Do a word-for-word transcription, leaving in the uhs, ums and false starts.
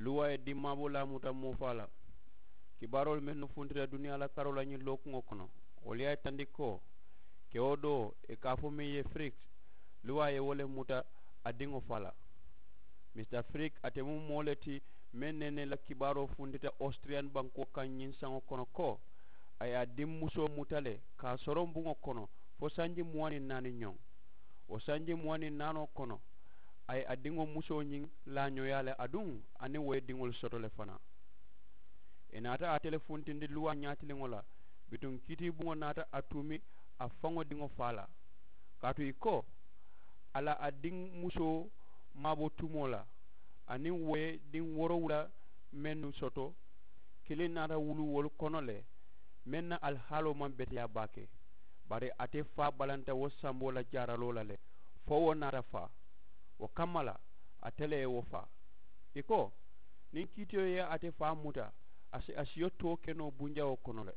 Luwaa ye dimmaaboo laamuta moo faa la. Kibaaroolu mennu funtita duniyaa la karoo la ñiŋ lookuŋo kono, wolu ye a yitandi ko kewo doo ì ka a fo meŋ ye firiks, luwaa ye wo le muta a diŋo faa la. Misita firik ate mu moo le ti meŋ ne ne la kibaaroo funtita ositiriyan bankoo kaŋ ñiŋ saŋo kono ko a ye a dimmusoo muta le ka a soroŋ buŋo kono fo sanji muwaŋ niŋ naani ñoŋ. Wo sanji muwaŋ niŋ naanoo kono a ye a diŋo musoo ñiŋ laañooyaa le aduŋ aniŋ wo ye diŋolu soto le fanaa. Ì naata ate le funtindi luwaa ñaatiliŋo la bituŋ kiitiibuŋo naata a tuumi a faŋo diŋo faa la. Kaatu ì ko a la a diŋ musoo maabo tumoo la aniŋ wo ye diŋ woorowula mennu soto, kiliŋ naata wulu wolu kono le meŋ na alihaaloo maŋ beteyaa baake. Bari ate faa balanta wo samboo la jaaraloo la le fo wo naata faa. Wo kamma la ate le ye wo faa. Ì ko niŋ kiitiyo ye ate faa muta a si a siyo too ke noo bunjawoo kono le.